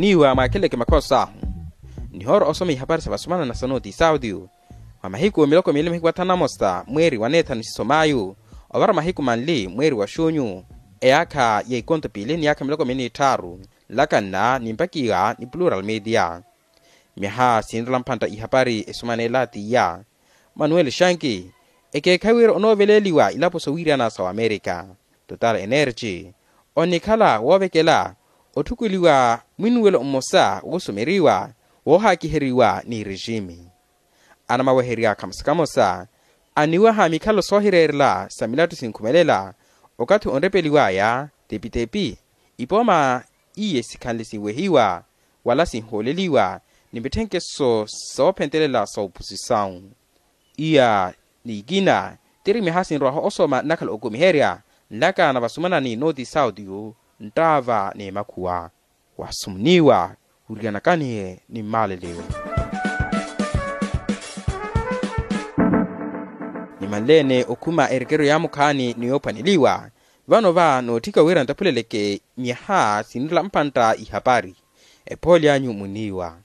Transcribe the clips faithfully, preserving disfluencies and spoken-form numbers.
Niiwa mwaakeleke makhosa ahu nihoora osoma ihapari sa vasumana na sa nooti saudio. Mwa mahiku miloko miili mahiku athanu na mosa mweeri wa neethanu siso mayu, ovara mahiku manli mweeri wa xunyu, eyaakha ya ikonto piili ni yaakha miloko miili n'itthaaru, nlakanna nimpakiwa ni plural media. Myaha sinrela mpantta ihapari esumanela t'iya, manuel shanki ekeekhayi wira onooveleeliwa ilapo sowiirana sa wamerika. Total energy onikhala woovekela otthukuliwa mwinuwelo mmosa woosumeriwa woohaakiheriwa ni rejimi. Anamaweherya kamosa kamosa aniwaha mikhalo soohireerela sa milattu sinkhumelela okathi onrepeliwaya tepi-tepi ipooma iye sikhanle sinwehiwa wala sinhooleliwa ni mitthenkeso soophentelela sa oposisawu. Iya ni ikina tiri myaha sinrwaha osoma nnakhala okumiherya nlaka na vasumana ni nooti saudio nttaava ni makhuwa waasumniwa wiriyanakanihe ni mmaaleleyo. Nimanleene okhuma erekeryo yaamukhaani ni yoophwaneliwa vano va nootthika wira ntaphuleleke myaha sinrela mpantta ihapari. Ephooli anyu muniiwa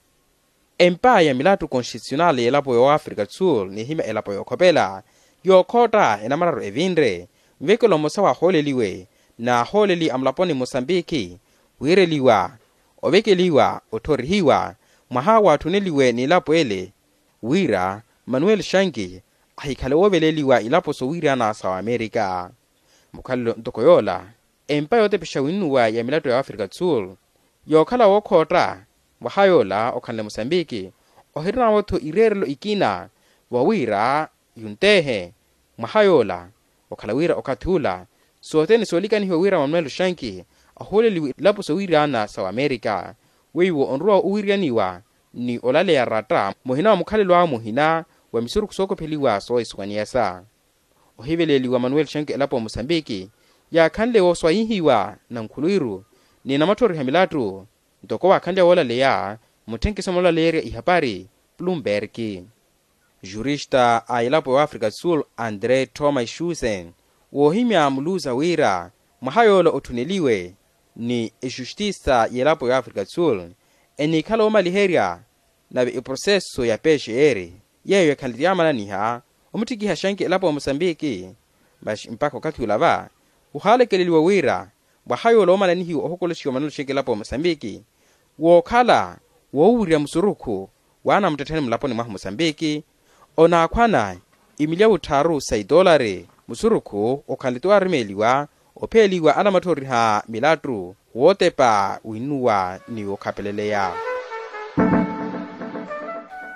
empa ya milattu konstitusional y'elapo y'oafrika tsul nihimya elapo y'okhopela yookhootta enamararu evinre nvekelo mmosa waahooleliwe n'ahooleli a mulaponi mosambiki wiireliwa ovekeliwa otthorihiwa mwaha waatthunneliwe n'ilapo ele wira manuel shanki ahikhale wooveleeliwa ilapo sowiirana sa wamerika. Mukhalelo ntoko yoola empa yootepexa winnuwa ya milattu ya waafrika tsul yookhala wookhootta mwaha yoola okhanle mosambiki ohirinaawo-tho ireerelo ikina vawiira yunteehe mwaha yoola okhala wira okathi ula sothene soolikanihiwa wira manuel shanki ahooleliwe ilapo sowiirana sa wamerika weiwo onrowa owiiriyaniwa ni olaleya ratta muhina wa mukhalelo awe muhina wa misurukhu sookopheliwa soohisuwaniyasa. Ohiveleeliwa manuel shanki elapo ya mosambiki yaakhanle wooswayihiwa na nkhulwiru ni namatthoriha milattu ntoko waakhanlya woolaleya mutthenkeso moolaleerya ihapari plumberki. Jurista a elapo ya afrika sul andre thomas schusen woohimya muluza wira mwaha yoola otthuneliwe ni exustisa y'elapo ya afrika sul enikhala oomaliherya nave eproseso ya pcr yeeyo ekhanle ti yaamananiha omuttikiha xanki elapo ya mosambiki. Maxi mpakha okathi ula va wuhaalekeleliwa wira mwaha yoola oomananihiwa ohokoloxiwa manelo xanki elapo ya mosambiki wookhala woowirya musurukhu w'anamuttettheni mulaponi mwahu mosambiki onaakhwana imilyawu tthaaru sa itoolari musurukhu okhanle ti waarumeeliwa opheeliwa anamatthoriha milattu wootepa winnuwa ni wookhapeleleya.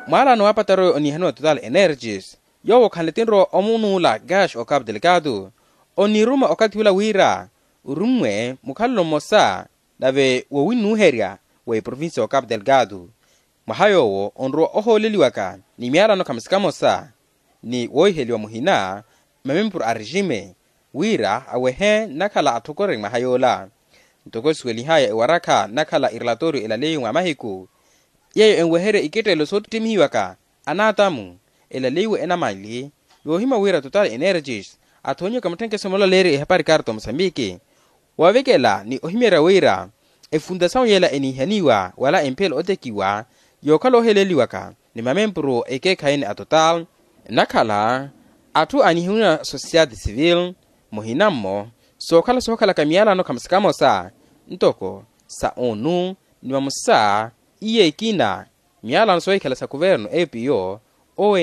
Mwaalano wa pataroi oniihaniwa total energies yoowo okhanle tinrowa omunuula gash o capu delgado oniruma okathi ula wira orummwe mukhalelo mmosa nave wowinnuuherya wa eprovincia o capu delgado mwaha yoowo onrowa ohooleliwaka ni myaalano khamosa-kamosa ni woohiheliwa muhina mmamempuru a rejime wira awehe nnakhala atthokore mwaha yoola. Ntoko esuwelihaya ewarakha nnakhala erelatoriyo elaleiwe mwa mahiku yeeyo enweherya iketteelo soottimihiwaka anaatamu elaleiwe enamanli yoohimya wira total energies athoonyiwaka mutthenkeso moolaleerya ehapari karto mosambiki woovekela ni ohimyerya wira efuntasawu yeela eniihaniwa wala emphiyelo otekiwa yookhala ooheleeliwaka ni mamempuru ekeekhayi-ni a total nnakhala atthu aaniihaniwa society civil muhina-mmo sookhala sookhalaka miyalano khamosa-kamosa ntoko sa onu ni vamosa iye ekina miyalano soohikhala sa kuvernu epiyo ong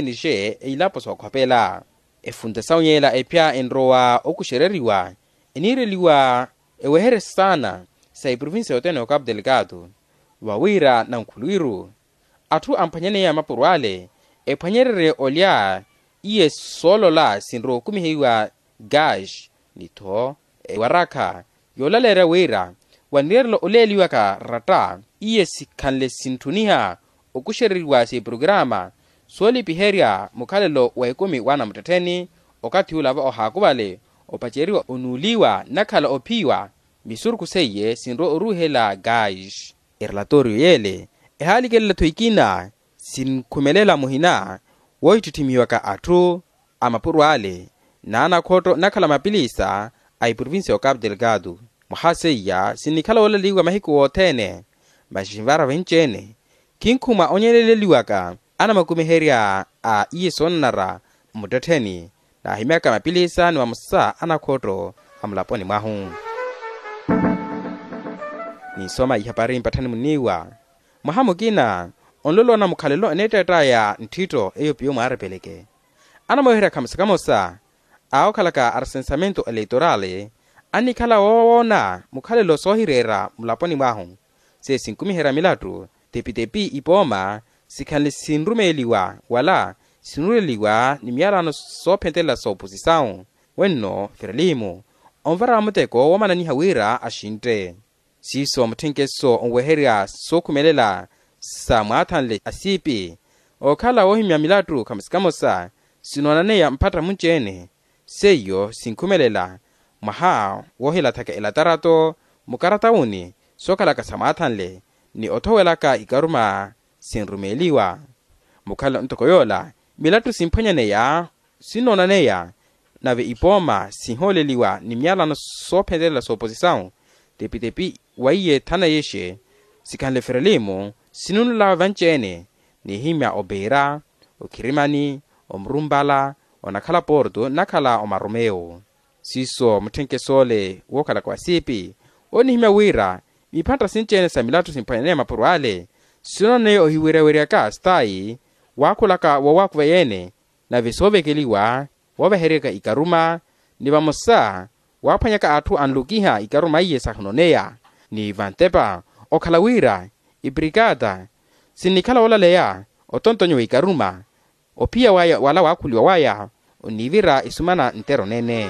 eilapo sookhopela efuntasawu yeela epya enrowa okuxereriwa eniireliwa eweherye saana sa eprovincia yothene ya ocapu delgado vawira nankhulwiru atthu amphwanyaneya mapuro ale ephwanyererye olya iye soolola sinrowa okumiheyiwa gash ni-tho ewarakha yoolaleerya wira wanireerela oleeliwaka ratta iye sikhanle sintthuniha okuxereriwa s'eprokiraama soolipiherya mukhalelo wa ekumi w'anamuttettheni okathi ula va ohaakuvale opaceriwa onuuliwa nnakhala ophiwa misurukhu seiye sinrowa oruuhela gash. Erelatoriyo yeele ehaalikelele-tho ikina sinkhumelela muhina woohittitthimiwaka atthu a mapuro ale n'anakhotto nnakhala mapilisa a eprovincia ya ocapu delgado mwaha seiya sinnikhala woolaliwa mahiku wothene Masi nvara vinci-ene, khinkhumwa onyeleleliwaka anamakumiherya a iye soonanara mmuttettheni, naahimyaka mapilisa ni vamosa anakhotto a mulaponi mwahu. Ninsoma ihapari mpatthani muniiwa. Mwaha mukina onlolowana mukhalelo eneetteett'aya ntthitto eyo piyo mwaarepeleke. Anamweherya khamosa khamosa a okhalaka a resensamento eleitorali annikhala woowoona mukhalelo soohireera mulaponi mwahu. Seiyo sinkumiherya milattu, tepitepi ipooma sikhanle sinrumeeliwa wala sinuleliwa ni miyalano soophentelela sooposisawu, wenno ferelimu onvara muteko woomananiha wira axintte. Siiso mutthenkeso onweherya sookhumelela sa mwaathanle a siipi. Okhala woohimya milattu khamosa khamosa sinoonaneya mphatta munci-ene. Seiyo sinkhumelela mwaha woohilathaka elatarato mukaratawuni sookhalaka sa mwaathanle ni othowelaka ikaruma sinrumeeliwa. Mukhalelo ntoko yoola milattu simphwanyaneya sinnoonaneya, nave ipooma sinhooleliwa ni miyalano soophentelela sooposisawu, tepitepi wa iye thana yexe sikhanle ferelimu sinunulelawe vanci-ene, nihimya opeera, okhirimani, omurumpala, onakhala porto nnakhala omaromeyo. Siiso mutthenkeso ole wookhalaka wa siipi onihimya wira miphantta sinci-ene sa milattu simphwanyaneya mapuro ale sinoonaneya ohiweryaweryaka stayi waakhulaka woowakuveya-ene, nave soovekeliwa wooveheryaka ikaruma ni vamosa waaphwanyaka atthu anlukiha ikaruma iye sahunoneya. Ni vantepa okhala wira ipirikata sinnikhala woolaleya otontonyiwa ikaruma ophiya waya wala waakhuliwa waya onivira isumana ntero nene.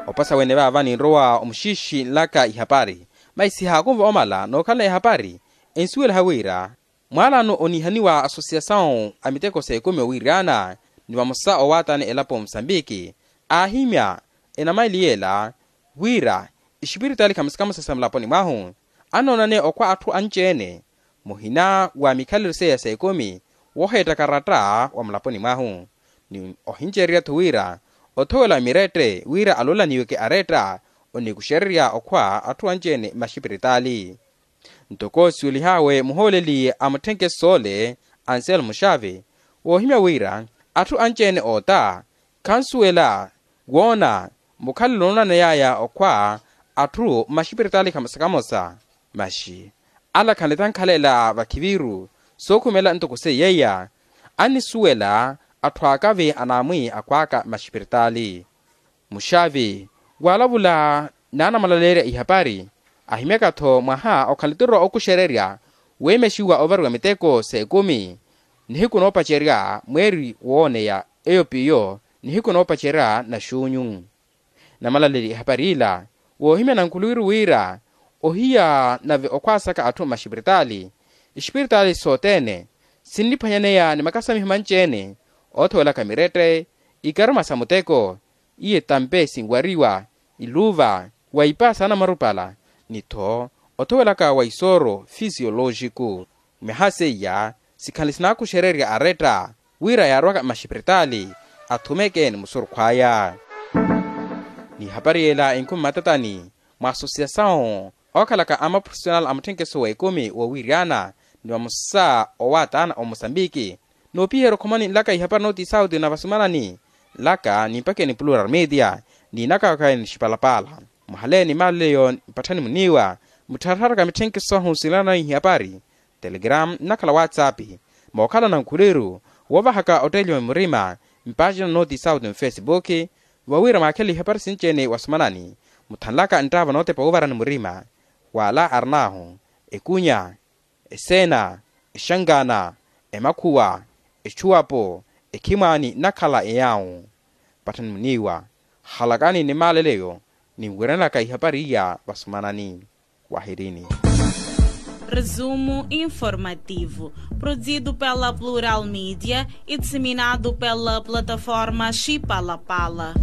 Opasa wene vaava ninrowa omuxiixi nlaka ihapari, masi sihaakunva omala nookhala ehapari ensuwelaha wira mwaalano onihaniwa asosiyasawu a miteko s'ekumi owiryana ni vamosa owaatani elapo musambiki aahimya enamaili yeela wira exipiritaali khamosa khamosa sa mulaponi mwahu annoonane okhwa atthu anci-ene muhina wa mikhalelo seiya s'ekumi wooheettaka aratta wa mulaponi mwahu. Ni ohinceererya-tho wira othowela mirette wira aloolaniweke aretta onikuxererya okhwa atthu anci-ene maxipiritaali. Ntoko suwelih'awe muhooleli a mutthenkeso ole anselmo xavi woohimya wira atthu anci-ene oota khansuwela woona mukhalelo onoonaney'aya okhwa atthu mmaxipiritaali khamosa khamosa. Masi ala khanleta nkhalela vakhiviru sookhumela ntoko seiy'eya annisuwela atthu aakavi anaamwi akhw'aka mmaxipiritaali. Muxavi waalavula n'anamalaleerya ihapari ahimyaka-tho mwaha okhala eturo okuxererya weemexiwa ovariwa miteko s'ekumi nihiku noopacerya mweeri wooneya eyo piyo nihiku noopacerya naxuunyu. Namalaleli ehapari ila woohimya nankhuluwiru wira ohiya nave okhwaasaka atthu mmaxipiritaali exipiritaali sothene sinniphwanyaneya ni makasamiho manci-ene oothowelaka mirette ikaruma sa muteko iye tampe sinwariwa iluva wa ipaasa anamarupala ni-tho othowelaka wa isooro fisiyolooxiku. Myaha seiya sikhanle sinaakuxererya aretta wira yaarwaka mmaxipiritaali athumeke ni musurukhw'aya. N'ihapari yela enkumi matatani mwa asosiyasawu ookhalaka amaprofesional a mutthenkeso w'ekumi woowiryana ni vamosa owaatana omosambiki. Noopiherya okhomani nlaka ihapari nooti sauti na vasumanani nlaka nimpakeni plural media niinakaka nixipalapala. Muhaleeni maalaleyo mpatthani muniiwa mutthararaka mitthenkeso ahu sinlanani ihapari telegram nnakhala whatsapp mookhala nankhuliru woovahaka otteeliwa murima mpaaxina nooti sauti mufesibuki vawira mwaakhele ihapari sinci-ene wasumanani muthanlaka nttaavo nootepa wuuvarani murima wala arinahu ekunya eseena exankaana emakhuwa exuwapo ekhimwaani nnakhala eyaawu. Patthani muniiwa halakani ni maalaleyo ninwiranelaka ihapari iya vasumanani wahirini. Resumo informativo, produzido pela Plural Mídia e disseminado pela plataforma Chipalapala.